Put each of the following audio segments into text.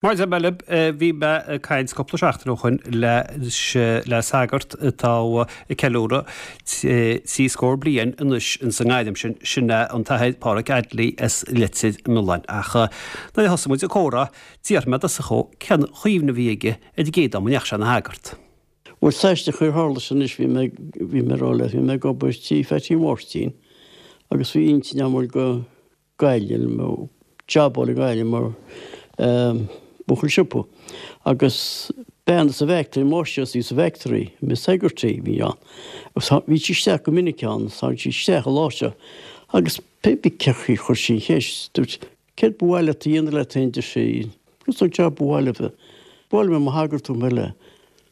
Mar a deir mé libh, bhí mé ag caint cúpla seachtain ó shoin le sagart atá ag ceiliúradh trí scór bliain anois ins an ngairm sin, sin é an tAthair Páraic Addley as Leitir Mealláin. Ach nuair a thosaigh muid ag comhrá, d'fhiafraigh mé i dtosach dhó cén chuimhne a bhí aige ar an gcéad am a ndeachaigh sé ina shagart. Bhuel, is aisteach ar tharla sé anois, bhí mé, bhí mé ag rá leat, bhí mé ag obair tí Pheaití Mháirtín agus bhí intinn agam dul go Gaillimh nó jab a fháil i nGaillimh mar bhuachaill siopa. Agus bean sa bhfactory, máistreás a bhí sa bhfactory, Miss Hegarty a bhí ann. Agus bhí sí isteach go minic ann, tháinig sí isteach an lá seo agus pé bith cé chaoi chuir sí an cheist, dúirt, céard ba mhaith leat a dhéanamh leat féin, deir sí, agus an jab ba mhaith leat a, ba mhaith liom a bheith i mo shagart dúirt mé léi.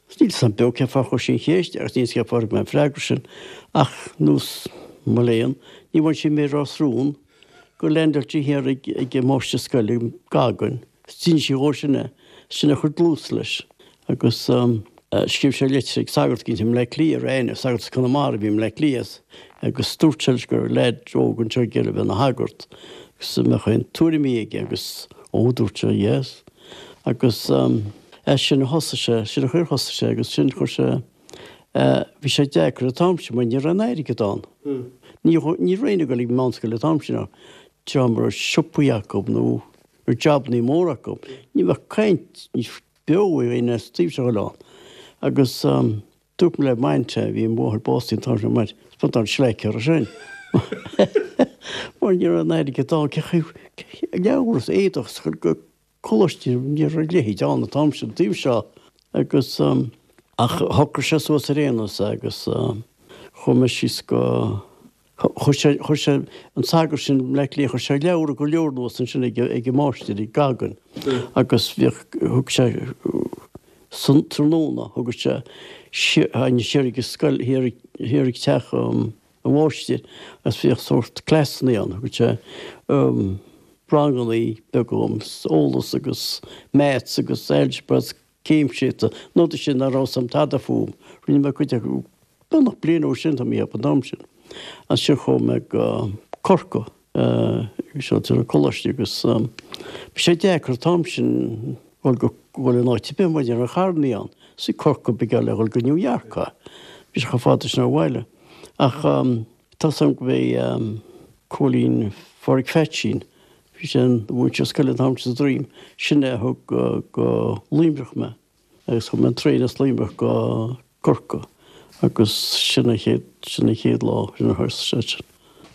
Níl 'fhios a'm beo cén fáth a chuir sí an cheist agus níl 'fhios cén fáth a thug mé an freagra sin ach nós mo léan, ní bhain sí méar as rún gur leaindeáil sí thiar ag ag an máistir scoile Goggin is d'inis sí dhó sin é, sin a chuir dlús leis agus scríobh sé litir ag sagart éicint i mBleá Cliath ar aithne, sagart as Conamara a bhí i mBleá Cliath agus dúirt sé leis go raibh leaid óg anseo ag iarraidh a bheith ina shagart agus an mbeadh aon tuairimí aige agus ó dúirt sé yes agus As sin a thosaigh sé, sin an chaoi ar thosaigh sé agus sin chuir sé, bhí sé deacair an t-am sin mar ní raibh aon airgead ann. Ní ní raibh éinne ag dul ag meánscoil an t-am sin ach dream a raibh siopaí acu nó raibh jabannaí móra acu. Ní bheadh caint beo ag éinne as taobh seo an oileáin. Agus dúirt mé le m'aint, bhí mo mháthair básaithe an t-am sin, m'aint, spiontáil sleic orthu sin. Mar ní raibh aon airgead ann, cé chaoi, leabhar is éadach is go coláiste, ní raibh a leithéid ann an t-am sin, an taobh seo agus ach shocraigh sé suas ar aon nós é agus chuaigh mé síos go, chuir sé, chuir sé, an sagart sin i mBleá Cliath, chuir sé leabhra go leor anuas ansin ag ag an máistir, ag Goggin agus bhíodh, thug sé san tráthnóna, thugadh sé siar ag an scoil, thiar, thiar ag teach an mháistir agus bhíodh sórt cleasanna ann, thugadh sé rangannaí beaga dhom, eolas agus maths agus algebra agus céimseata, na rudaí sin nach raibh 's a'm tada fúm. Rinne mé cuid acu beagnach bliain ó sin, tá mé ag ceapadh an t-am sin. Ansin chuaigh mé go Corcaigh, seo an coláiste agus bhí sé deacair an t-am sin dhul go dhul in áit ar bith mar ní raibh carrannaí ann. Is i Corcaigh ba gheall le dhul go New York é. Bhí sé chomh fada sin ó bhaile. Ach tá 's a'm go mb'é Cóilín Phádraig Pheaitsín, bhí sé ina mhúinteoir scoile an t-am sin sa Droim, sin é a thug go Luimneach mé agus chuaigh mé an traein as Luimneach go Corcaigh agus sin an chéad, sin an chéad lá, sin a thosaigh sé sin.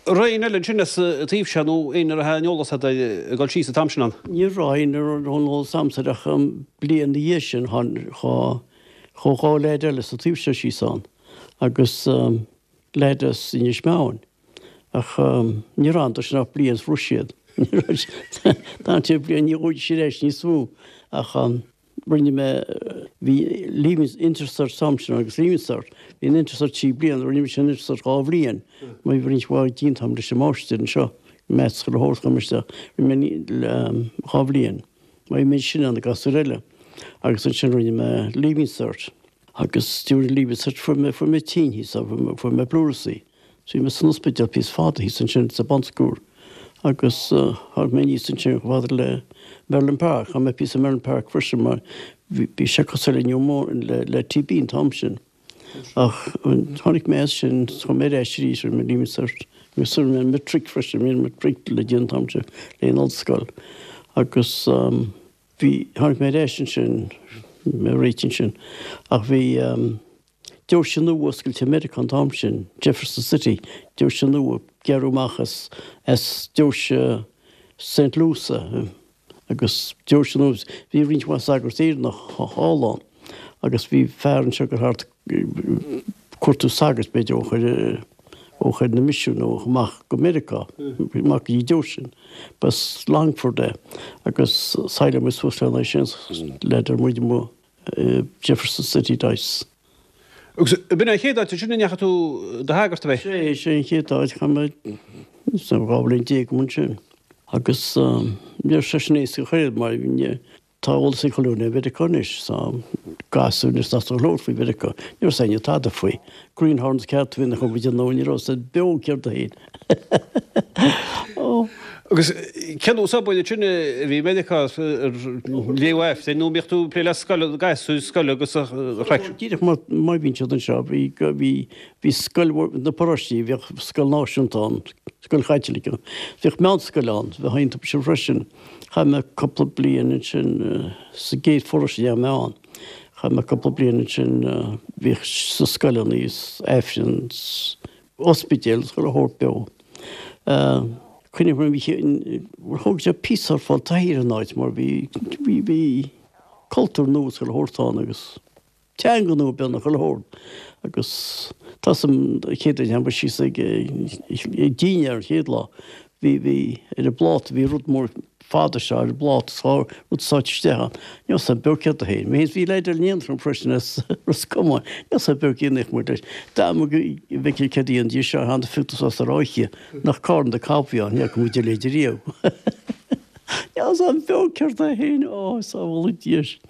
Raibh éinne eile ansin as an taobh seo nó éinne a raibh aon eolas agat ag dul síos an t-am sin ann? Ní raibh éinne a raibh aon eolas a'msa air ach an bliain ina dhiaidh sin tháinig, chuaigh 2 leaid eile sa taobh seo síos ann agus leaid as Inis Meáin ach níor fhan sin ach bliain is bhris siad. D'fhan siad bliain ní chuaigh siad ar ais níos mó ach rinne mé, bhí Leaving Intercert an t-am sin agus Leaving Cert, bhí an Intercert 3 bliana, rinne mise an Intercert 2 bhliain, mar bhí roinnt mhaith déanta agam leis an máistir anseo, maths chuile shórt chum isteach, rinne mé 2 bhliain, mar bhí mé níos sine ná na gasúir eile agus ansin rinne mé Leaving Cert agus during Leaving Cert fuair mé, fuair mé tinn thíos, fuair mé pleurisy. Bhí mé san ospidéal píosa fada thíos ansin sa Bon Secours agus tháinig mé aníos ansin chomh fada le Merlin Park. Chaith mé píosa i Merlin Park freisin mar bhí sé cosúil le pneumonia le TB an t-am sin. Ach tháinig mé as sin, chuaigh mé ar ais arís rinne mé Leaving Cert agus rinne mé matric freisin, bhí an matric le déanamh an t-am sin le an ollscoil agus bhí, tháinig mé ar ais ansin, mé réitithe ansin ach bhí Deoise nua oscailte i Meiriceá an t-am sin, Jefferson City, deoise nua, gearradh amach as as deoise Saint Louis agus deoise nua, bhí roinnt mhaith sagart Éireannach thall ann agus bhí fear anseo ag dul thart ag cuartú sagairt b'fhéidir ó chuir ó chuir na misiúin nó amach go Meiriceá, amach go dtí deoise sin. B'as Longford é agus saoileadh muid suas lena sin le deir muid amuigh Jefferson City Diocese. Agus b'in an chéad áit ansin a ndeachaigh tú do shagart, ab é? Sé, sé an chéad áit, chaith mé 12 bhliain ansin. Agus ní raibh sé sin éasca chor ar bith mar tá eolas ag chuile dhuine ar Mheiriceá anois, tá gasúir anois nach labhairt faoi Mheiriceá, ní raibh éinne tada faoi. Greenhorns ceart a bhí ina chuid nó ní raibh siad beo céard a féin. Agus cén nós oibre sin a bhí i Meiriceá ar léamh Aifrinn nó mbíodh tú ag plé le scoil, gasúir scoile agus a chraic? Díreach mar mar bhíonn siad anseo, bhí bhí bhí scoil na paróistí, bhíodh scoil náisiúnta ann, scoil Chaitliceach, bhíodh meánscoil ann, bheadh iontu sin freisin. Chaith mé cúpla bliain ansin sa gcéad pharóiste a ndeachaigh mé ann. Chaith mé cúpla bliain ansin, bhíodh sna scoileanna is Aifreann is ospidéal is chuile shórt beo. Cuimhním mar bhí, thóg sé píosa ar fáil taithí ar an áit mar bhí, bhí, bhí cultúr nua is chuile shórt ann agus teanga nua beagnach chuile shórt agus tá 'fhios a'm an chéad uair a tháinig síos ag, ag dinnéar an chéad lá Bhí, bhí, ar an bpláta, bhí rud mór fada seo ar an bpláta, tá rud sáite isteach ann. Níl 'fhios a'm beo céard é féin. Bhí, bhí leaid eile in éineacht liom freisin as Ros Comáin. Níl 'fhios a'm beo cén naoch muid leis. Dá mba go bhfeicfeá céard a dhéanfaidís seo, tháinig fiúntas as ar oíche nach carn de cab a bhí ann, ní fhaca muid a leithéid riamh. Níl 'fhios a'm beo céard é féin, ó, sábhála Dia sinn.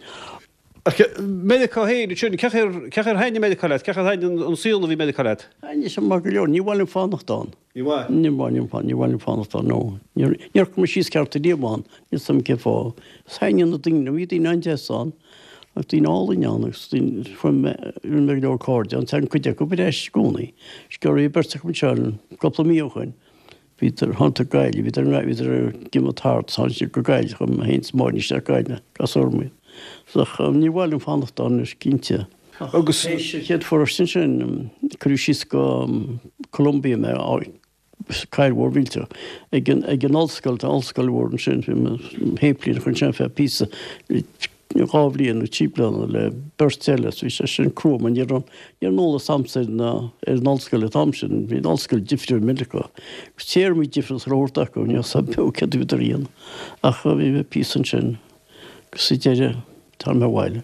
Ach Meiriceá féin ansin, cén chaoi ar thaitnigh Meiriceá leat? Cén chaoi ar thaitnigh an saol a bhí i Meiriceá leat? Thaitnigh sé maith go leor. Ní mhaith liom fanacht ann. Ní mhaith? Ní mhaith liom, ní mhaith liom fanacht ann, no. Níor, níor chuir mé síos ceart ariamh ann, níl 'fhios a'm cén fáth. Is thaitnigh na daoine liom, bhí daoine an-deas ann, agus daoine álainn ann, agus daoine, fuair mé, rinne mé go leor cairde ann, tagann cuid acu ar ais i gcónaí. Is go raibh beirt acu anseo cúpla mí ó shoin. Bhíodar, thánadar go Gaillimh, bhíodar, bhíodar ag imeacht thart, tháinig siad go Gaillimh, chuaigh mé féin is Máirín isteach go Gaillimh, gasúr amuigh. Ach ní mhaith liom fanacht ann anois, cinnte. Agus. Théis an chéad pharóiste ansin, cuireadh síos go Columbia mé, cathair mhór mhillteach, ag an, ag an ollscoil, tá ollscoil mhór ansin, bhí mé shéiplíneach ansin ar feadh píosa, 2 bhliain nó 3 bliana le beirt eile so bhí sé sin crua mar ní raibh ní raibh an eolas a'msa ar na ar an ollscoil an t-am sin, bhí an ollscoil difriúil i Meiriceá agus téarmaí difriúil sa leabhar acu, ní raibh 'fhios a'm beo céard a bhíodar a dhéanamh ach bhí mé píosa ansin agus sa deireadh tá mé abhaile.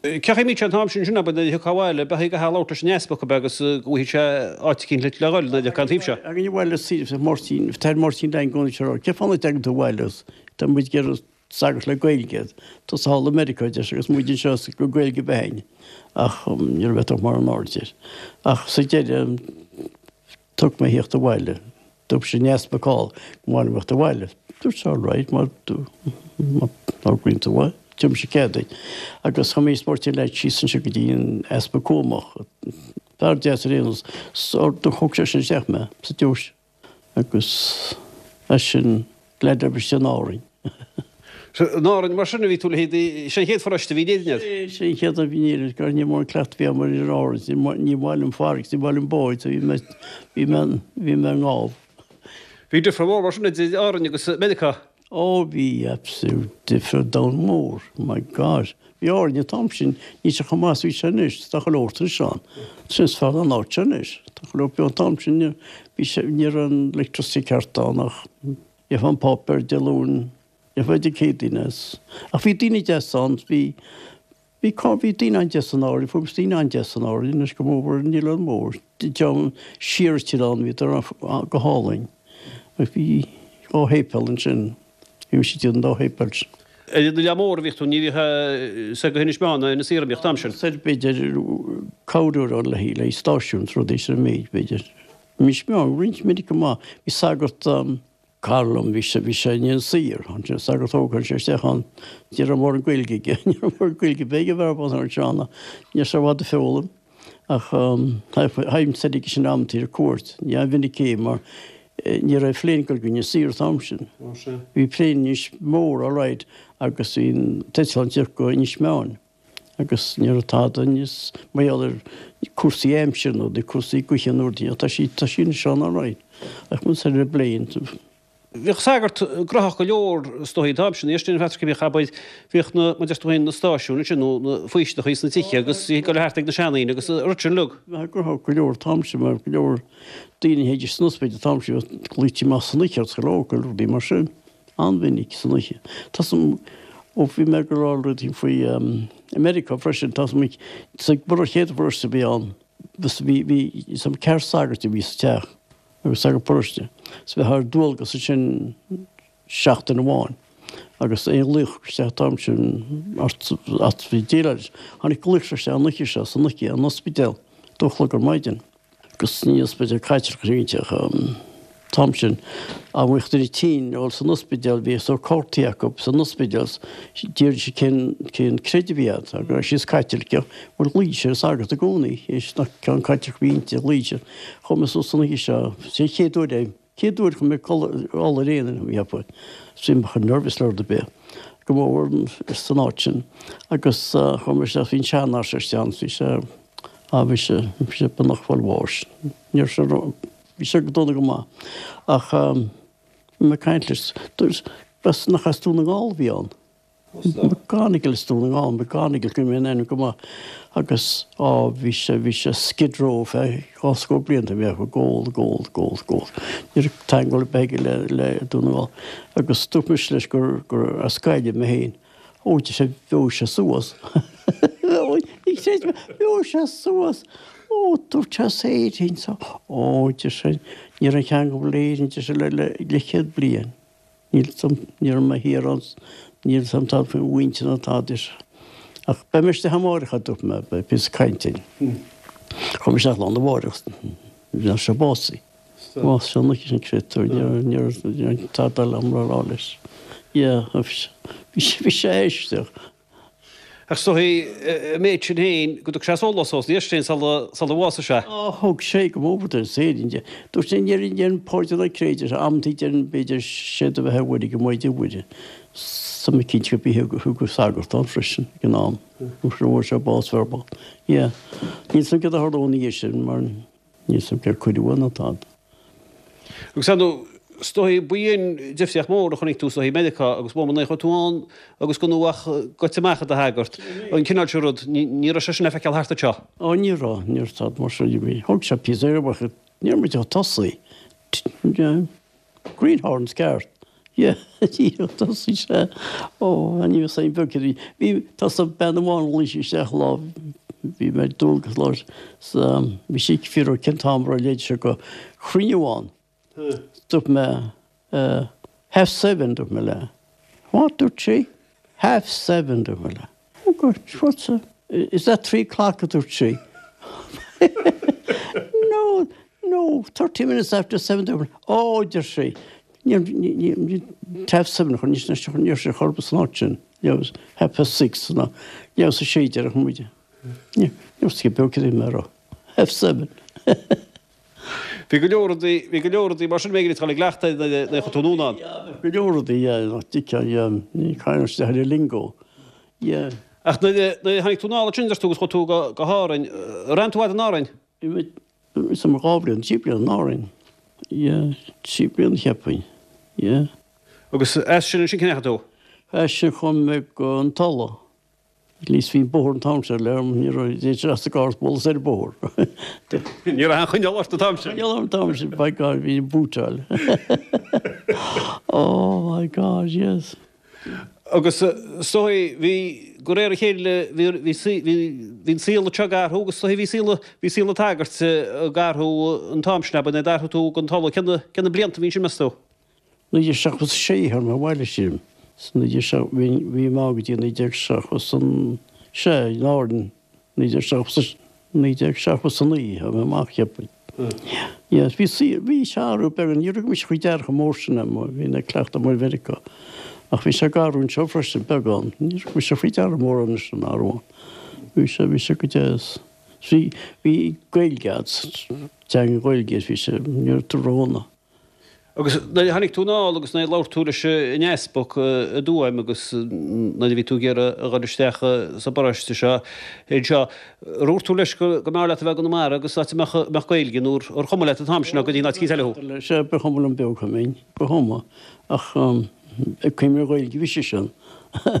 Cén chaoi a mbíodh sé an t-am sin sin abair nuair a thiocfá abhaile, ab é go gcaithfeá labhairt leis an easpag ab ea agus go bhfaighidh sé áit eicínt le le dhul nuair a thiocfá an taobh seo? Againn abhaile is Máirtín, an tAthair Máirtín Lang i gcónaí ag rá, cén fáth nach dtagann tú abhaile agus tá muid ag iarraidh sagart le Gaeilge, tusa thall i Meiriceá, a deir sé, agus muid anseo is go Gaeilge a bheith againn. Ach ní raibh ag mórán aird air. Ach sa deireadh, thug mé theacht abhaile. Dúirt an t-easpag thall go mba mhaith liom theacht abhaile. Dúirt sé all right, má thograíonn tú é, tabharfaidh mise cead duit. Agus chuaigh mé is Máirtín Leaid síos anseo go dtí an Easpag Cuamach. Fear deas ar aon nós. Thug sé sin isteach mé sa deoise. Agus as sin leaid oibre in Árainn. In Árainn mar sin a bhí tú le haghaidh, sin an chéad pharóiste a bhí in Éirinn agat? Sin an chéad a bhí in Éirinn, gar ní mór an cleachtadh a bhí agam ar ar Árainn, ní mhaith liom farraige, ní mhaith liom báid, so bhí mé, bhí mé, bhí mé i ngábh. Bhí difear mór mar sin idir Árainn agus Meiriceá? Ó bhí absolute difear domhan mór, my God. Bhí Árainn an t-am sin, níl sé chomh maith is bhí sé anois, tá chuile shórt anois ann. Sin is fearr ná an áit seo anois. Tá chuile shórt beo an t-am sin, bhí sé, ní raibh an electricity ceart ann ach gheofá an páipéar Dé Luain, gheofá Dé Céadaoine as. Ach bhí daoine deas ann, bhí, Bhí cá, bhí daoine an-deas in Árainn, fuair mise daoine an-deas in Árainn anois go mór ar an Oileán Mór, dream siar an t-oileán, bhíodar go hálainn. Agus bhí dhá shéipéal ansin, bhí mise idir an dá shéipéal sin. Ar an Oileán Mór a bhíodh tú, ní bhíodh soir go hInis Meáin ná Inis Oírr a bhíodh an t-am sin. Soir b'fhéidir cabhrú le le stáisiún is rudaí sin an méid b'fhéidir. Inis Meáin roinnt minic go maith, bhí sagart Cara liom, bhí sé, bhí sé in Inis Oírr, ansin sagart óg, tháinig sé isteach ann, ní raibh mórán Gaeilge aige, ní raibh mórán Gaeilge bheith ag an bhfear bán anseo ann, ní raibh sé i bhfad ag foghlaim, ach théinn soir aige sin amantaí ar cuairt, ní an-mhinic é mar ní raibh plane ag dul go Inis Oírr an t-am sin. Bhí plane Inis Mór alright agus bhí an t-eitleán ag tíocht go Inis Meáin. agus ní raibh tada níos mar gheall ar cúrsaí aimsire nó cúrsaí gaoithe nó rudaí tá sí tá sí anseo alright ach muid ar an bplane. Bhíodh sagart gnóthach go leor is dóigh an t-am sin, éist an Phatrick bhíodh abair bhíodh na mar deir tú féin na stáisiúin ansin nó na faoistineachaí sna tithe agus bhí ag dul thart ag na seandaoine agus an rud sin uilig. Bheadh gnóthach go leor an t-am sin mar go leor daoine a théidís san ospidéal an t-am sin bheadh glaoití amach san oíche ar local rudaí mar sin. An-mhinic san oíche. Tá 's a'm, ó bhí mé ag rá rudaí faoi America freisin, tá 's a'm, sa bpar chéad pharóiste a bhí ann, bhí, bhí, 's a'm ceathrar sagairt a bhí sa teach agus sagart paróiste, so bheifeá ar dualgas ansin seachtain amháin agus aon ghlaoch isteach an t-am sin ort, ort bhí déileáil leis. Tháinig glaoch isteach an oíche seo, san oíche, an ospidéal, dó a chlog ar maidin. Agus ní ospidéal Caitliceach a bhí ann. t-am sin, dá mbeadh duine tinn ag dul san ospidéal, bhíodh sórt cártaí acu san ospidéal, d'iarradh siad cén, cén creideamh a bhí agat, agus raibh siad Caitliceach, bhuel ghlaoigh siad ar sagart i gcónaí, théis nach ceann Caitliceach a bhí inti, ghlaoigh siad, chuaigh mé suas san oíche seo, sé an chéad uair é, chéad uair chuaigh mé ag codladh ar aon fhoirm, cheapfainn, bhí mé chomh nervous le rud ar bith, go mór san áit sin, agus chuaigh mé isteach, bhí an seanfhear istigh ann, bhí sé, á bhí sé, bhí sé beagnach ag fáil bháis, ní raibh sé ró. Bhí sé go dona go maith. Ach bhí mé ag caint leis. Dúirt, b'as, nach as Dún na nGall a bhí ann. McGonigle as Dún na nGall, McGonigle, cuimhin liom an ainm go maith. Agus, á, bhí sé, bhí sé Skid Row feadh dhá scór blianta, bhí ag ól, ag ól, ag ól, ag ól. Ní raibh teagmháil ar bith aige le, le Dún na nGall. Agus dúirt mise leis gur, gur as Gaillimh mé féin. Ó, deir sé, bheoigh sé suas. Ní chreid mé, bheoigh sé suas. Ó, dúirt sé as Éirinn so. Ó, deir sé, ní raibh aon cheangal le Éirinn, deir sé, le, le, leathchéad bliain. Níl 'fhios a'm, ní raibh mé thiar ann, níl 'fhios a'm tada faoi mhuintir ná tada, deir sé. Ach beidh mé isteach amáireach, a dúirt mé, beidh píosa cainte againn. Chuaigh mé isteach lá arna mháireach, bhí sé básaithe. Más sin an créatúr, ní raibh tada eile agam le rá leis. Yeah, bhí sé aisteach. Ach is dóichí, an méid sin féin, go dtug sé sólás dó, ní sin sula bhásaigh sé. Á, thug sé go mór don saoirín de. Dúirt sé, ní raibh páirtí ná créatúr, amantaí deireann b'fhéidir séard a bheith ar Mhuire go Maighdean Mhuire. Tá mé cinnte go b'í thug sagart ann freisin ag an am. Fuair sé bás fear bocht. Yeah. Níl 'fhios a'm céard a tharla ina dhiaidh sin mar. Níl 'fhios a'm cér cuireadh ann ná tada. Agus ar ndóigh, is dóichí, ba í an difríocht mór a chonaic tú is dóichí i Meiriceá agus mó nuair a chuaigh tú ann agus gan tú ach goite amach i do shagart, an cineál sin rud, ní raibh sé sin le feiceáil thart anseo. Ó ní raibh, ní raibh tada mar sin. Thug sé píosa ar mhaith, ní raibh muid ach tosaí. Greenhorns ceart. Yeah, tosaigh sé. Ó, ní raibh aon bheag céard a bhí. Bhí, tá sa bean amháin ghlaoigh sí isteach lá, bhí mé ar dualgas lá sa, bhí sí ag fiafraí cén t-am a raibh leid seo go cruinniú ann. Dúirt mé, half seven, dúirt mé léi. What, dúirt sí? Half seven, dúirt mé léi. Oh God, what's that? Is that o'clock a dúirt sí. No, no, 30 minutes after seven dúirt mé. Oh, deir sí. Ní, half seven, ní raibh sé chor san áit sin. Ní half past six ná ní raibh sa sé deireadh muide. Ní raibh sé beag cad é mé a rá. Half seven. Bhí go leor rudaí, bhí go leor rudaí mar sin b'fhéidir ag dul i gcleachtadh nuair a chuaigh tú anonn ann. Go leor rudaí, yeah, nach dtuigfeá, yeah, ní caithfidh isteach ar an lingo, yeah. Ach nuair a, nuair a tháinig tú anall ansin, deir tú, agus chuaigh tú go, go hÁrainn, ar fhan tú fhad in Árainn? Bhí mé, bhí mé dhá bhliain, trí bliana in Árainn, yeah, trí bliana cheapfainn, yeah. Agus as sin ansin, cá ndeachaigh tú? As sin chuaigh mé go an Tulaigh. At least bhí an bóthar an t-am sin le ní raibh sé as an gcarr is bualadh ar an bóthar. Ní raibh aon choinneal ort an t-am sin. Coinneal orm an t-am sin, by God, bhí an bútáil. Oh my God, yes. Agus is dóigh, bhí, de réir a chéile, bhí, bhí, bhí, bhí an saol anseo ag athrú agus is dóigh bhí saol, bhí saol an tsagairt ag athrú an t-am sin, ab ea, nuair a d'athraigh tú go an Tulaigh, cé na, cé na blianta a bhí ansin, meas tú? 1976 tháinig mé abhaile sílim. Bhí mé ann go dtí 1976 in Árainn, 1979 tháinig mé amach cheapfainn. Yes, bhí saol, bhí sé ag athrú beagán, ní raibh mise faoi deara chomh mór sin é mar bhí mé ag cleachtadh amuigh i Mheiriceá. Ach bhí sé ag athrú anseo freisin, beagán. Ní raibh mise faoi deara mórán leis an athrú ann. Bhí sé, bhí sé go deas. Bhí, bhí Gaeilge a'd, teanga Ghaeilge, bhí sé, ní raibh tú ródhona. Agus nuair a tháinig tú anall agus nuair a labhair tú leis an easpag i dTuaim agus nuair a bhí tú ag iarraidh a dhul isteach sa bparóiste seo anseo, ar dhúirt tú leis go mb'fhearr leat a bheith i gConamara agus áit a mbeadh Gaeilge nó ar chuma leat an t-am sin nó go dtí an áit eile thú? Sea, ba chuma liom beag I mean, ba chuma. Ach ag cuimhneamh ar Ghaeilge bhí seisean.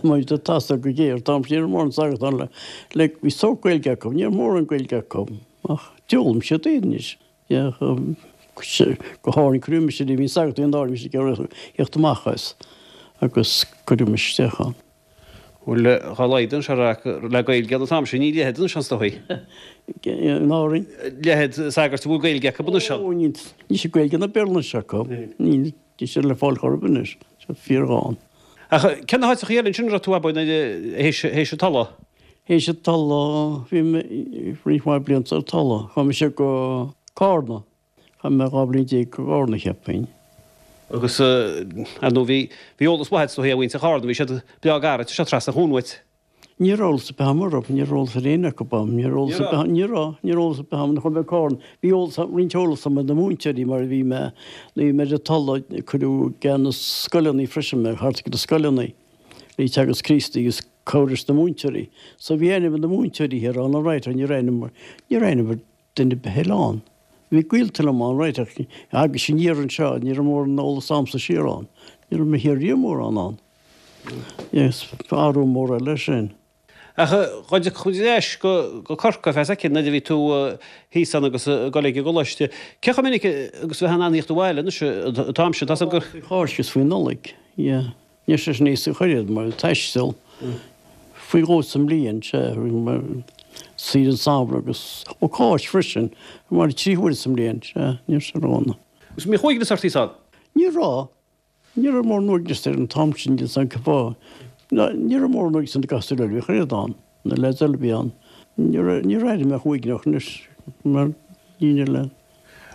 Mar tá tasc go géar, tá ní raibh mórán sagart ann le, le, bhí sórt Gaeilge acu, ní raibh mórán Gaeilge acu ach d'fhoghlaim siad é anois. Go hÁrainn cuireadh mise, bhí sagart in Árainn, bhí sé ag iarraidh theacht amach as agus cuireadh mise isteach ann. Bhuel, dá laghad anseo le Gaeilge an t-am sin, níl a leithéid anois ann is dóichí. In Árainn? Leithéid sagairt a bhfuil Gaeilge acu anois ann. Ó, níl, níl sé Gaeilge ná Béarla anois acu. Níl, níl sé le fáil chor ar bith anois. Tá sé fíorghann. Ach cé na háiteacha eile ansin a raibh tú abair théis an Tulaigh? Théis an Tulaigh, bhí mé roinnt mhaith blianta ar Tulaigh. Chuaigh mise go Cárna. Chaith mé 12 bliain i gCarna, cheapfainn. Agus, ar ndóigh, bhí, bhí eolas mhaith agat is dóigh ar mhuintir Chárna, bhí siad breá gairid, tá sé trasna an chuain uait. Ní raibh eolas ar bith agam orthu, ní raibh eolas ar éinne acu agam, ní raibh eolas ar bith, ní raibh, ní raibh eolas ar bith agam, nuair a chuaigh mé go Cárna, bhí eolas, roinnt eolas agam ar na múinteoirí mar a bhí mé, nuair a bhí mé ar an Tulaigh, cuireadh i gceannas scoileanna freisin mé, thart ag na scoileanna, le Teagasc Críostaí agus cabhair leis na múinteoirí. So bhí aithne agam ar na múinteoirí thiar ann alright ach ní raibh aithne agam, ní raibh aithne agam ar duine ar bith eile ann. Bhí gaolta liom ann, right, ach agus aniar anseo, ní raibh mórán eolas agamsa siar ann. Ní raibh mé thiar riamh mórán ann. Yes, athrú mór eile sin. Ach dá dtiocfadh muid ar ais go Corcaigh ar feadh soicind nuair a bhí tú thíos ann agus ag dul ag an gcoláiste, cé chomh minic agus a bheifeá in ann a thíocht abhaile anois an t-am sin? Tá 's agam gur. Faoi Cháisc is faoi Nollaig, yeah. Níl sé sin éasca ach oiread mar taisteal faoi dhó sa mbliain, sea, saoire an samhradh agus ó Cáisc freisin, mar 3 huaire sa mbliain, sea, níl sé ródhona. Agus an mbíodh uaigneas ort thíos ann? Ní raibh. Ní raibh mórán uaigneas ar an t-am sin, níl 's agam cén fáth. Ní raibh mórán uaigneas ar na gasúir eile, bhí ach oiread ann, na leaids eile a bhí ann. Níor níor airigh mé uaigneach anois mar dhaoine eile.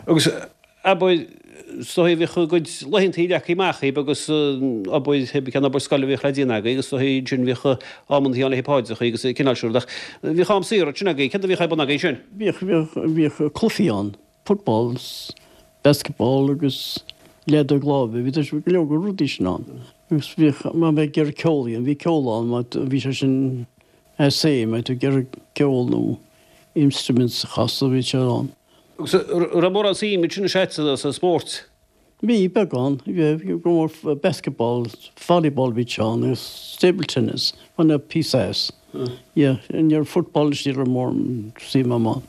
Agus abair, is dóigh bhíodh a gcuid laethantaí leagtha amach agaibh agus obair, cén obair scoile a bhíodh le déanamh agaibh agus is dóigh ansin bhíodh amantaí ann le haghaidh paidreacha agus an cineál sin rud ach bhíodh am saor ansin agaibh, céard a bhíodh ar bun agaibh ansin? Bhíodh, bhíodh, bhíodh cluichí ann, football, basketball agus leadóg láimhe, bhí go leor de rudaí sin ann. Agus bhíodh, má bheith ag iarraidh ceol a dhéanamh, bhí ceol ann, má bhí sé sin as é, má tú ag iarraidh ceol nó instruments a chasadh, bhí sé ann. Agus an raibh mórán suim ansin is ea sa spórt? Bhí, beagán. Bhí go mór basketball, volleyball bhí sé ann agus table tennis, bhain mé píosa as. Yeah, ní raibh football anois ní raibh mórán suim agam ann.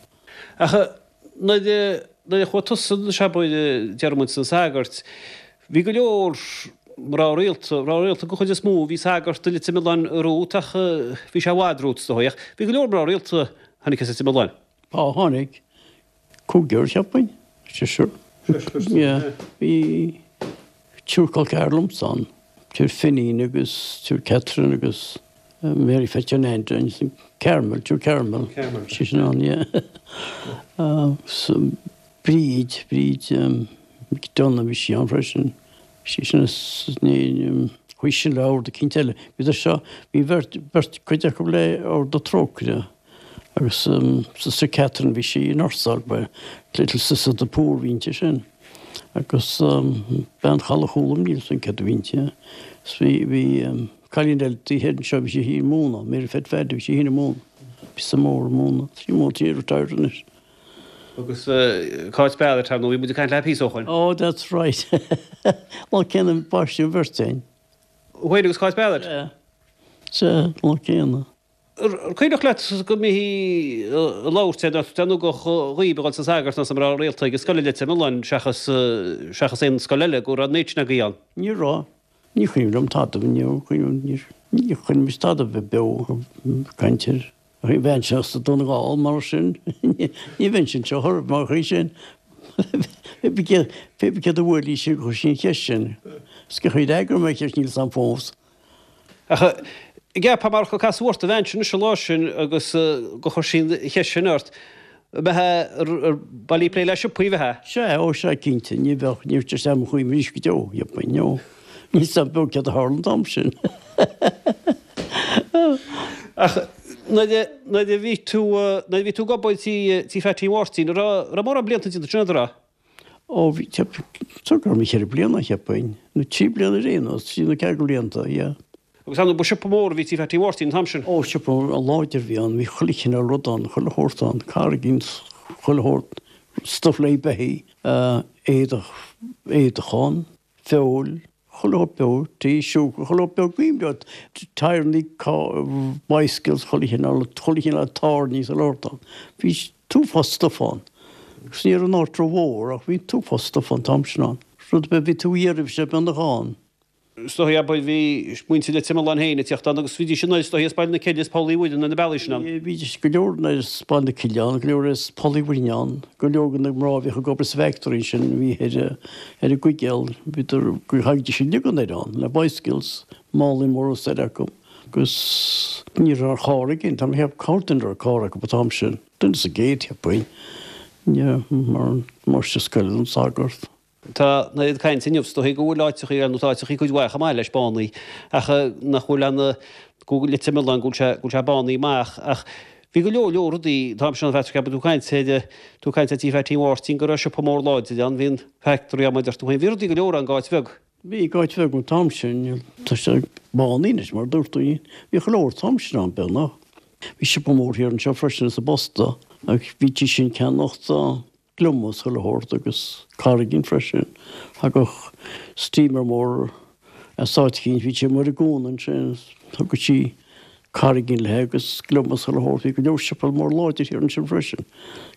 Ach nuair a nuair a chuaigh tusa anois abair déarfaidh muid sna sagairt, bhí go leor mná rialta, mná rialta den chuid is mó, bhí sagart i Leitir Mealláin romhat ach bhí sé i bhfad romhat is dóigh ach bhí go leor mná rialta a tháinig as Leitir Mealláin. Á, tháinig. Cúigear, cheapfainn. Seisear. Yeah. Bhí triúr col ceathar liomsa ann. Triúr Finín agus triúr Catherine agus Mary Pheaits John Andy, Carmel, triúr Carmel. Carmel. Bhí sin ann, yeah. So, Bríd, Bríd McDonagh, bhí sí ann freisin. Bhí sí sin as, ní, chuaigh sin le ord eicínt eile. Bhíodar seo, bhí beirt, beirt, cuid acu le Ord na Trócaire. Agus Sister Catherine, bhí sí ag nursáil, ba Little Sisters of the Poor a bhí inti sin. Agus bean Chaladh Chúluim, níl 'fhios a'm céard a bhí inti. Is bhí, bhí cailín eile taobh thiar anseo, bhí sí ag múineadh, Mary Phet Phaddy, bhí sí féin ag múineadh. Píosa mór ag múineadh, sí múineadh, sí retired anois. Agus Cáit Barrett, ar ndóigh, bhí muid ag caint léi píosa ó shoin. Oh, that's right. Lá céanna a baisteadh an bheirt againn. Thú féin agus Cáit Barrett? Sea. Sea, lá céanna. Ar cuimhneach leat go mbithí ag labhairt ar nó go dhaoib a dhul sna sagairt nó sna mná rialta ag an scoil i Leitir Mealláin seachas seachas aon scoil eile, go raibh an méid sin agaibh ann? Ní raibh. Ní cuimhin liom tada, ní cuimhin ní chuimhin tada bheith beo ag caint air. Ní bheinnse as Dún na nGall mar sin, ní bheinnse anseo ar mar chaoi sin. Pé bith céard a bhuail í sin, chuir sí an cheist sin. Is cén chaoi a d'fhreagair mé an cheist níl 'fhios a'm fós. Ach an gceapfá marach gur casadh ort an bhean sin anois an lá sin agus gur chuir sí an cheist sin ort, an mbeifeá ar bailí ag plé le siopaí, an mbeifeá? Sea, ó sea, cinnte, ní bheadh, ní bheadh sé i mo chuimhne arís go deo, cheapfainn, no. Níl 'fhios a'm beo céard a tharla an t-am sin. Ach nuair a, nuair a bhí tú, nuair a bhí tú ag obair tí, tí Pheaití Mháirtín, an raibh, an raibh mórán blianta déanta ansin agat, an raibh? Ó bhí, cheap, go raibh mé cheithre bliana, cheapfainn, nó trí bliana ar aon nós, trí nó ceathair blianta, yeah. Agus ar ndóigh ba siopa mór a bhí tí Pheaití Mháirtín an t-am sin. Ó, siopa láidir a bhí ann, bhí chuile chineál rud ann, chuile shórt ann, carraigín, chuile shórt, stuff le beithígh, éadach, éadach ann. feoil, chuile shórt beo, tae, siúcra, chuile shórt beo, cuimhin leat, tyreannaí, bicycles, chuile chineál, chuile chineál tairní sa lord ann. Bhí t-uafás stuff ann. Agus ní raibh an áit ró-mhór ach bhí t-uafás stuff an t-am sin ann. Rud ar bith a bhí tú a iarraidh bhí sé beagnach ann. Is dóigh, abair, bhí muintir Leitir Mealláin féin ag tíocht ann agus bhídís anoir is dóigh as Baile na Cille, as Poll Uí Mhuireann ar na bealaí sin ann. Bhídís go leor anoir as Baile na Cille ann, go leor as Poll Uí Mhuireann ann, go leor de na mná a bhíodh ag obair sa bhfactory ansin a bhí ar ar an gCuigéal, bhíodar, thagaidís uilig anoir ann le bicycles, málaí móra soir acu agus ní raibh carr againn, tá mé ag ceapadh corrdhuine a raibh carr acu an t-am sin, duine sa gcéad, cheapfainn. Yeah, mar máistir scoile don sagart. Tá an oiread cainte inniu is dóigh go bhfuil áiteachaí nó tá áiteachaí cuid mhaith chomh maith leis bánaithe ach nach bhfuil an go bhfuil Leitir Mealláin go bhfuil sé go bhfuil sé bánaithe amach ach bhí go leor leor rudaí an t-am sin ann Patrick tú ag caint ar tú ag caint ar tí Phaití Mháirtín go raibh siopa mór láidir ann bhí an factory ann mar a deir tú féin bhí rudaí go leor ann go áit bheag. Bhí go áit bheag an t-am sin tá sé bánaithe anois mar a dúirt tú bhí go leor an t-am sin ann beagnach. Bhí siopa mór thiar anseo freisin sa bposta ach bhítí sin ceannacht gliomach is chuile shórt agus carraigín freisin. Thagadh steamer mór as áit eicínt, bhí sé amuigh ar an gcuan ansin, thugadh sí carraigín léi agus gliomach is chuile shórt. Bhí go leor siopa mór láidir thiar ansin freisin.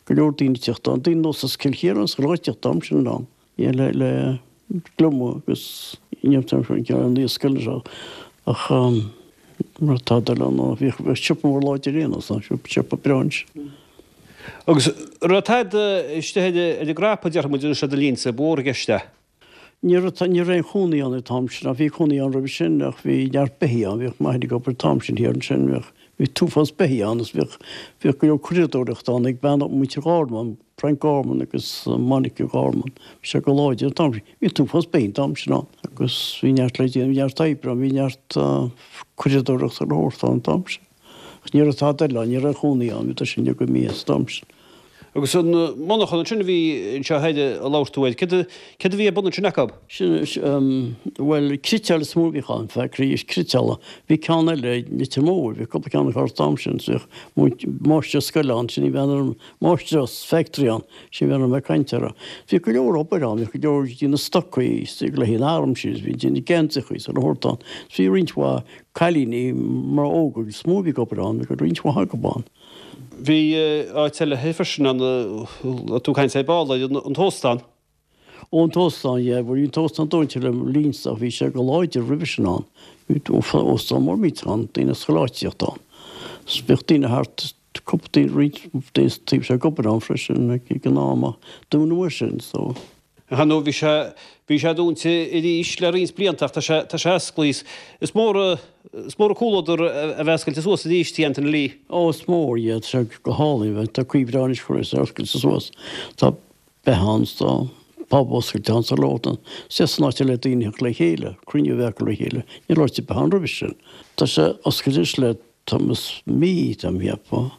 Go leor daoine ag teacht ann, daoine nós as Cill Chiaráin is chuile áit ag teacht an t-am sin ann. Le le gliomach agus níl an ceann níos scoile seo ach mar atá dul ann bhíodh siopa mór láidir aon nós siopa breá ansin. Agus raibh tada istigh ar an gcnaipe déarfaidh muid anois le do linnse, ba mhór i gceist é. Ní raibh ní raibh aon chónaí ann an t-am sin ach bhí cónaí ann roimhe sin ach bhí neart beithígh ann bhíodh m'athair ag obair an t-am sin thiar ansin bhíodh bhí t-uafás beithígh ann agus bhíodh bhíodh go leor curadóireachta ann ag bean muintir Ghorman Frank Gorman agus Monica Gorman. Bhí sé go láidir an t-am sin. Bhí an t-uafás beithígh an t-am sin ann agus bhí neart le déanamh, bhí neart oibre ann, bhí neart curadóireachta le thabhairt ann an t-am sin. Ach ní raibh tada eile ann, ní raibh cónaí ann, bhí sin ag imeacht an t-am sin. Agus an monarchan ansin a bhí anseo thoir a labhair tú air, céard a bhí ar bun ansin acu? Sin, bhuel, cniotáil is mó a bhíodh ann, factory cniotála. Bhí ceann eile i Leitir Móir, bhí cúpla ceann acu an t-am sin, bhíodh máistir scoile ann, sin í bhean ar Máistreás factory ann, sin a bhí mé ag caint air. Bhí go leor obair ann, bhí go leor ag déanamh stocaí istigh le haghaidh an arm sin, bhí ag déanamh geansaíochaí is a shórt ann. Bhí roinnt mhaith cailíní mná óga is mó a bhí ag obair ann, bhí roinnt mhaith acu ann. Bhí áit eile freisin ann, tú ag caint ar ball ar an t-óstán. Ó an t-óstán, yeah, bhí an t-óstán dúnta le mo linnse ach bhí sé go láidir roimhe sin ann. Bhí óstán mór millteach ann, daoine as chuile áit ag tíocht ann. Bhíodh daoine thart, cúpla daoine, roinnt daoine sa taobh seo ag obair ann freisin ag an am ach dúnadh é sin so. Ar ndóigh bhí sé, bhí sé dúnta arís le roinnt blianta ach tá sé, tá sé osclaithe. Is mór, is mór an comhluadar a bheith oscailte suas arís, Tí Anthony Lee. Ó is mór, yeah, tá sé go hálainn, tá caoi bhreá anois chun é a oscailte suas. Tá. beith ann 's tá pub oscailte ann sa Lótan. 'S an áit le daoine theacht le chéile, cruinniú a bheith acu le chéile. Ní raibh áit ar bith ann roimhe sin. Tá sé oscailte anois le tamall mí, tá mé ag ceapadh.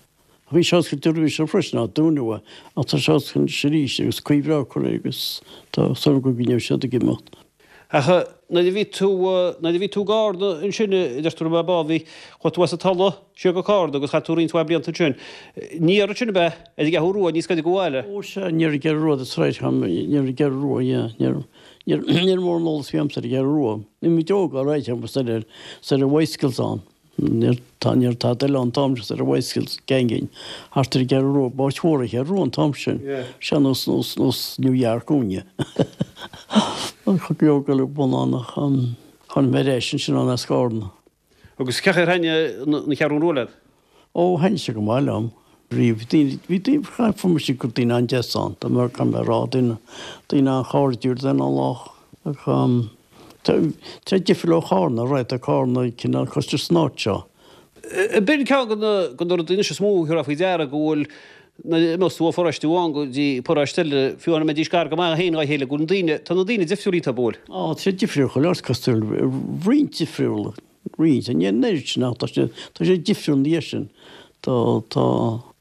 Bhí sé oscailte roimhe sin freisin, ach dúnadh é. Ach tá sé oscailte anois arís agus caoi bhreá curtha air agus tá súil agam go gcoinneoidh siad ag imeacht. Ach nuair a bhí tú, nuair a bhí tú i gCarna ansin, a deir tú raibh mé ball, bhí, chuaigh tú as an Tulaigh siar go Carna agus chaith tú roinnt mhaith blianta ansin. Ní raibh ansin ab ea, ar an gCeathrú Rua, níos gaire go bhaile? Ó sea, ní raibh Ceathrú Rua, that's right, ní raibh Ceathrú Rua, yeah, ní raibh, ní raibh, ní raibh mórán eolas bhí a'msa ar an gCeathrú Rua. Bhí muid óg, all right, agus ar, ar an bicycles ann. Níor tada eile an t-am sin ar bicycles ganging thart ar an gCeathrú Rua, b'áit mhór an Cheathrú Rua an t-am sin. Sea, nós nós nós New York dúinne. Go leor go leor bun ann ach tháinig mé ar ais ansin ann as Carna. Agus cén chaoi ar thaitnigh an Cheathrú Rua leat? Ó, thaitnigh sé go maith liom. Riamh, daoine, bhí daoine, fuair mise gur daoine an-deas ann, dá mbeadh, caithfidh mé a rá, daoine, daoine an-chairdiúil, daoine an-lách. Ach tá sé difriúil ó Chárna, right, tá Cárna cineál cosúil leis an áit seo. B'in ceann de na rudaí anois is mó a thabharfá faoi deara go bhfuil, nuair a imeos tú ó pharóiste amháin go dtí paróiste eile, fiú amháin a mbeidís gar go maith féin dá chéile, go bhfuil na daoine, tá na daoine difriúil iontu, an bhfuil? Á, tá sé difriúil chuile áit, cosúil, roinnt difriúil, roinnt, ní an oiread sin ach tá sé, tá sé difriúil ina dhiaidh sin. Tá, tá,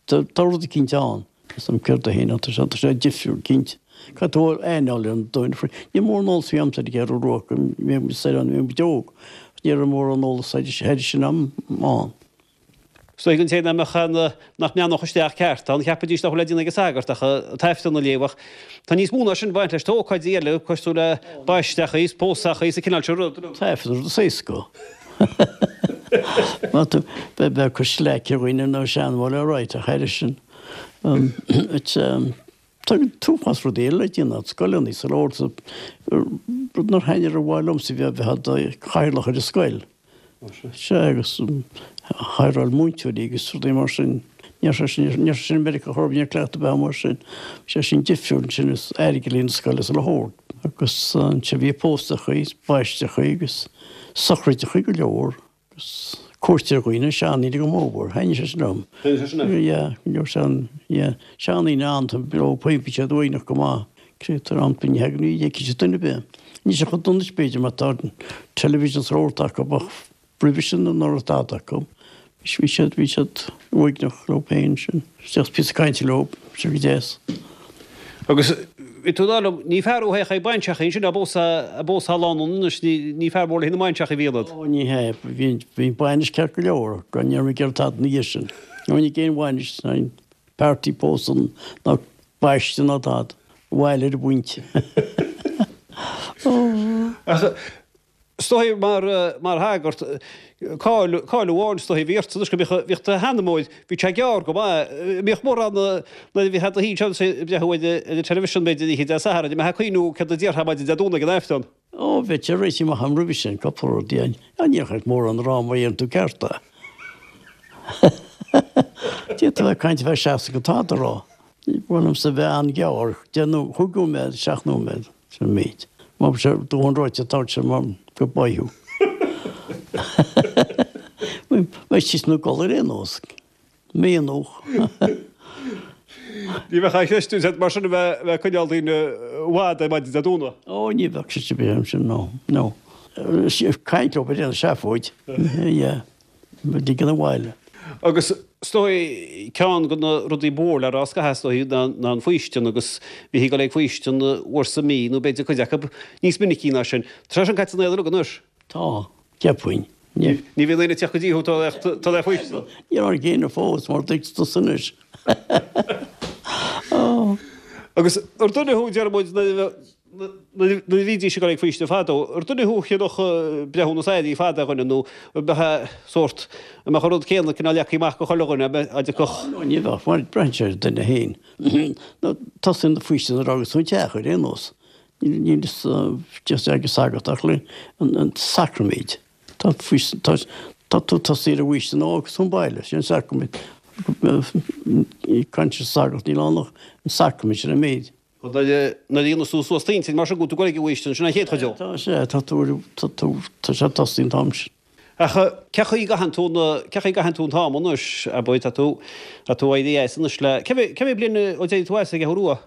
tá rud eicínt ann. Is an céard é féin ach tá sé, tá sé difriúil, cinnte. Caithfidh tú aithne a fháil ar an duine faoi. Níl mórán eolas a bhí a'msa ar an gCeathrú Rua go mbeadh muid soir ann, bhí muid óg. Ní raibh mórán eolas thairis sin a'm ann. Is dóigh don té nach mbeadh ann, nach mbreathnódh isteach ceart ann, cheapfaidís nach bhfuil le déanamh ag an sagart ach an tAifreann a léamh ach tá níos mó ná sin ag baint leis. Tá ócáidí eile cosúil le baisteachaí is pósachaí is an cineál sin rud. An tAifreann rud is éasca. Má tá, beidh ag cur slaic ar dhaoine nó seanmóir alright ach thairis sin, tá t-uafás rudaí eile le déanamh, scoileanna sa leabhar, rud nár thaitnigh rómhaith liomsa bhí bheith i do chathaoirleach ar an scoil. Sea, agus hireáil múinteoirí agus rudaí mar sin. Ní raibh sé sin, ní raibh sé sin i Meiriceá chor ar bith, ní raibh cleachtadh ar bith mar sin. Bhí sé sin difriúil ansin is airgead le na scoile is a leithéid. Agus ansin bhí póstachaí, baisteachaí agus sochraideachaí go leor agus. Cuairt ar dhaoine, seandaoine go mórmhór. Thaitnigh sé sin liom. Thaitnigh sé sin leat? Yeah, go leor sean, yeah, seandaoine ann, tá leo féin, bhí siad uaigneach go maith. Créatúir ann, ní thagann, ní fheicfidh siad duine ar bith. Níl sé chomh dona anois b'fhéidir mar tá television is rud acu ach roimhe sin ní raibh tada acu. Bhí siad, bhí siad uaigneach leo féin sin. Isteach píosa cainte leo, bhí sé go deas. Agus bhí tú ag rá liom, ní fear thú a théadh ag bainseachaí ansin, ag pósadh, ag pósadh lánúin anois, ní, ní fear mór le haghaidh na mbainseachaí a bhí ionat. Ó, ní hea, bhí, bhí an bainis ceart go leor, gan ní raibh mé ag iarraidh tada ina dhiaidh sin. Ní raibh aon bhainis, ná aon party pósadh ná baiste ná tada. Abhaile ar an bpointe. Ó. Ach Is dóigh mar, mar shagart, cáil, cáil amháin is dóigh a bhí ort anois go mbíodh, bhíodh do sheanmóir, bhí sé gearr go maith, mbíodh mórán nuair a bhí tú féin ag breathnú ar an television b'fhéidir oíche Dé Sathairn, an mbeifeá ag cuimhniú céard a déarfá maidin Dé Domhnaigh ag an Aifreann? Ó, bheadh sé réitithe amach agam roimhe sin, cúpla rud, yeah. Ní raibh mórán a rá má dhéanann tú ceart é. D'fhéadfá a bheith ag caint ar feadh seachtain gan tada a rá. Ní mhaith liomsa bheith an-ghearr, 10 nó 5 nóiméad, 7 nóiméad. Sin an méid. Má bhí sé dóthain ráite tá sé mar go b'fhearr thú. Beidh siad ina gcodladh ar aon nós. Mianach. Ní bheadh aon cheist duit mar sin a bheith ag coinneáil daoine i bhfad ar maidin Dé Domhnaigh. Ó ní bheadh sé sin bheith sin no, no. Caint leo ag déanamh seafóid. Yeah. Ligean abhaile. Agus is dóigh, ceann de na rudaí ba mhór le rá scaitheamh is dóigh ná ná an faoistean agus bhítí ag dul ag faoistean uair sa mí nó b'fhéidir cuid acu níos minicí ná sin. Tá sé sin caite in éad uilig anois. Tá, cheapfainn. Ní bhíonn aoinne ag teacht go dtí thú tá le faoistean. Ní raibh éinne fós mar dtuigeann tusa anois. Agus ar duine thú, deir muid, Nuair a bhídís ag dul ag faoistean fadó, ar duine thú a cheannódh breithiúnas éirí fada ar dhuine nó an mbeadh sórt, an mbeadh an rud céanna cineál leagtha amach do chuile dhuine, a dtiocfadh. No, ní bheadh, mar braitheann sé ar an duine féin. Nó tosaíonn an faoistean nuair a fhágas tú an teach ar aon nós. Níl fhios ag an sagart ach le an sacraimid. Tá faoistean, tá, tá tú tosaí ar an bhfaoistean nuair a fhágas tú an baile, sin an sacraimid. Caint an sagart, níl ann ach an sacraimid, sin an méid. Nuair a líonas tú suas t'intinn mar sin go bhfuil tú ag dul ag an bhfaoistean, sin an chéad chuid dó. Tá sé, tá tú, tá tú, tá sé tosaithe an t-am sin. Ach cé chaoi a gcaitheann tú na, cé chaoi a gcaitheann tú an t-am anois, abair, tá tú, tá tú éirithe as anois le, cé mhéad, cé mhéad bliain ó d'éirigh tú as ag an Cheathrú Rua?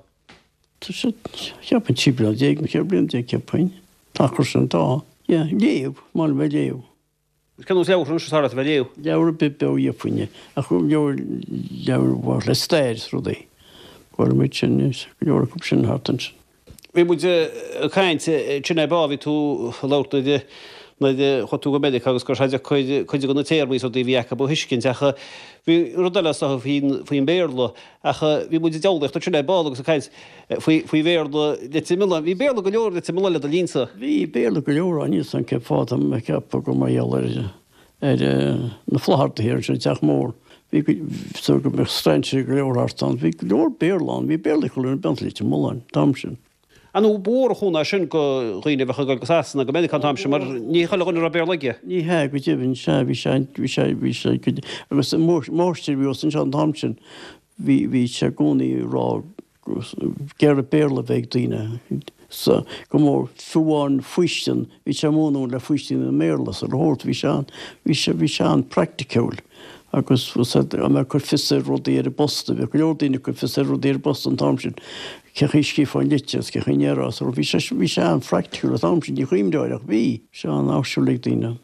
Tá sé, cheapfainn 13 bliana nó 14 bliana cheapfainn. Tá achar sin, tá. Yeah, léamh, maith liom bheith ag léamh. Cén nós leabhar anois is fearr leat a bheith ag léamh? Leabhar ar bith beo gheobhainn é, ach leabhar, leabhar a bhain le stair is rudaí. Ba mhaith liom iad sin, go leor acu sin thart ansin. Bhí muid ag caint ansin ar ball, bhí tú ag labhairt nuair a, nuair a chuaigh tú go Meiriceá agus go raibh sé deacair cuid de na téarmaí is rudaí a bhí acu a thuiscint ach bhí rud eile is dócha faoin, faoin Bhéarla ach bhí muid ag diabhlaíocht ansin ar ball agus ag caint faoi, faoi Bhéarla Leitir Mealláin. Bhí Béarla go leor i Leitir Mealláin le do linnsa. Bhí Béarla go leor ann, níl 's a'm cén fáth, tá mé ag ceapadh gur mar gheall ar, ar na Flaitheartaithe ansin, an Teach Mór. Bhí go, so go mbeadh strainséirí go leor thart ann. Bhí go leor Béarla ann, bhí Béarla ag chuile dhuine i Leitir Mealláin, an t-am sin. Ar ndóigh, ba mhór an chúnamh é sin do dhaoine a bheadh ag dul go Sasana, go Meiriceá an t-am sin, mar ní chuile dhuine a raibh Béarla aige. Ní hea, go deimhin, sea, bhí sé, bhí sé, bhí sé, go, agus an máistir a bhí thuas anseo an t-am sin, bhí, bhí sé i gcónaí ag rá ag iarraidh Béarla a bheith ag daoine so go mór, fiú amháin faoistean, bhí sé ag múineadh le faoistin i mBéarla sa shórt, bhí sé an, bhí sé, bhí sé an-praiticiúil agus dá mbeadh ag cur fios ar rudaí ar an bposta, bhíodh go leor daoine ag cur fios ar rudaí ar an bposta an t-am sin, cé chaoi a scríofá an litir agus cé chaoi a ndéarfá, so bhí sé, bhí sé an-phraiticiúil an t-am sin, ní chuimhneoir ach bhí sé an-áisiúil ag daoine.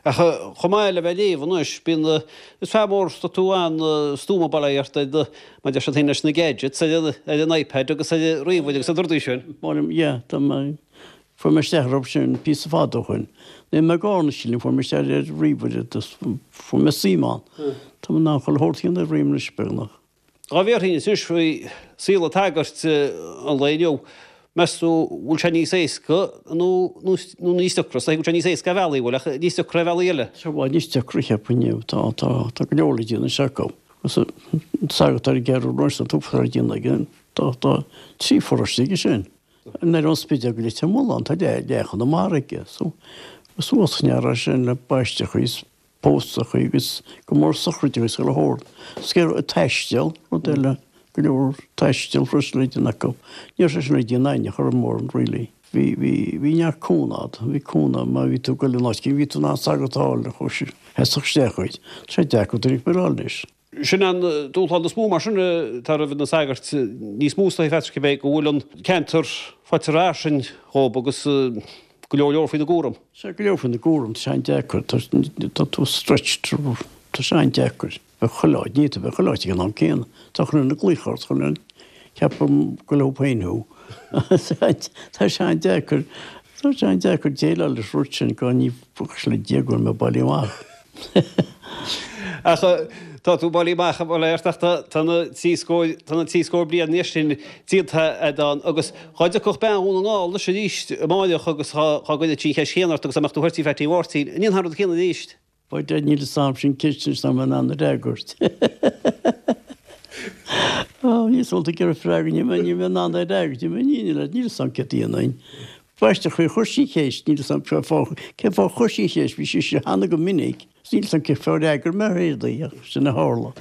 Ach chomh maith le bheith ag léamh anois, bíonn, is fear mór tá tú an-stuama bail ó Dhia ort ar na, mar a deir siad féin leis na gadgets, ar an, ar an iPad agus ar an ríomhaire agus na rudaí sin. Maith liom, yeah, tá mé, fuair mé isteach orthu sin píosa fada ó shoin. Níl mé ag árna sílim, fuair mé isteach ar ríomhaire agus fuair mé suim ann. Tá mé in ann chuile shórt a dhéanamh ar ríomhaire anois beagnach. Dá bhféadfainn anois faoi saol an tsagairt an lae inniu, meas tú bhfuil sé níos éasca nó nó níos deacra? Is dóigh go bhfuil sé níos éasca ar bhealaí, bhfuil, ach níos deacra ar bhealaí eile? Tá sé i bhfad níos deacra, cheapfainn, inniu. Tá, tá, tá go leor le déanamh anois acu. Agus an sagart ar an gCeathrú Rua, an t-uafás le déanamh aige. Tá, tá trí pharóiste aige sin. Ar an Spidéal go Leitir Mealláin, tá leath, leath Chonamara aige. So, suas an sin le baisteachaí is póstachaí agus go mór sochraidí agus chuile shórt. Scaoileadh ag taisteal, rud eile, go leor taistil freisin le déanamh acu. Ní raibh sé sin le déanamh againne, chor mór, really. Bhí, bhí, bhí neart cúnamh a'd, bhí cúnamh má bhí tú ag goil in áit éigin, bhí tú in ann sagart a fháil a chuir sheasfadh isteach dhuit. Tá sé deacair duine ar bith a fháil anois. Sin an dúshlán is mó mar sin atá roimh na sagairt níos mó is dóigh Phatrick ab é go bhfuil an ceantar faighte fairsing dhóibh agus go leor leor faoina gcúram. Sea, go leor faoina gcúram, tá sé an-deacair, tá tú stretched, tá sé an-deacair. Bheith chuile áit, ní tú bheith chuile áit ag an am céanna. Tá chuile dhuine ag glaoch ort, chuile dhuine ag ceapadh gur leo féin thú. Tá sé an-deacair, tá sé an-deacair déileáil leis an rud sin go ní buíochas le Dia go bhfuil mé bailithe amach. Ach tá tú bailithe amach, a Bhailéir, ach tá na trí scór, tá na trí scór bliain anois sin déanta a'd ann agus dhá dtiocfadh bean Dhún na nGall anois arís amáireach agus dhá gcuirfeadh sí an cheist chéanna ort agus dá mbeadh tú thoir tí Phatty Mháirtín, an ndéanfá an rud céanna arís? Bhuel, níl fhios a'm sin ceist anois nach mbeinn in ann a fhreagairt. Níl fhios ag iarraidh freagra, níl mé in ann a fhreagairt, níl fhios a'm céard a dhéanfainn. B'aisteach faoi chuir sí an cheist, níl fhios a'm cén fáth cén fáth a chuir sí an cheist, bhí sí cheana go minic, níl fhios a'm cén fáth ar fhreagair mé ar aon ach sin a tharla.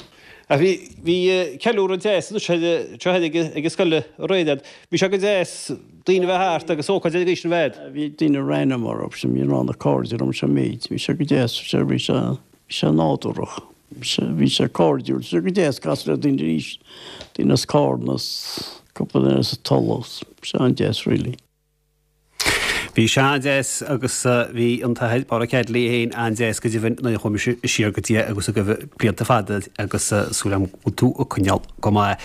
Ach bhí, bhí ceiliúradh deas anois seo ag an scoil aréir. Bhí sé go deas daoine a bheith thart agus ócáid ar an gcaoi sin a bheith a'd. Bhí daoine raon mar raibh sin, bhí a lán cairde liom sa méid, bhí sé go deas, bhí sé, bhí sé, bhí sé nádúrach, bhí sé, bhí sé cairdiúil, bhí sé go deas casadh le daoine arís, daoine as Carna, as cúpla duine as an Tulach, bhí sé an-deas really. Bhí sé an-deas agus bhí an tAthair Pádraig Hadley é féin an-deas go deimhin nuair a chuaigh mise siar go dtí é agus agaibh blianta fada agus súil agam go bhfuil tú ag coinneáil go maith.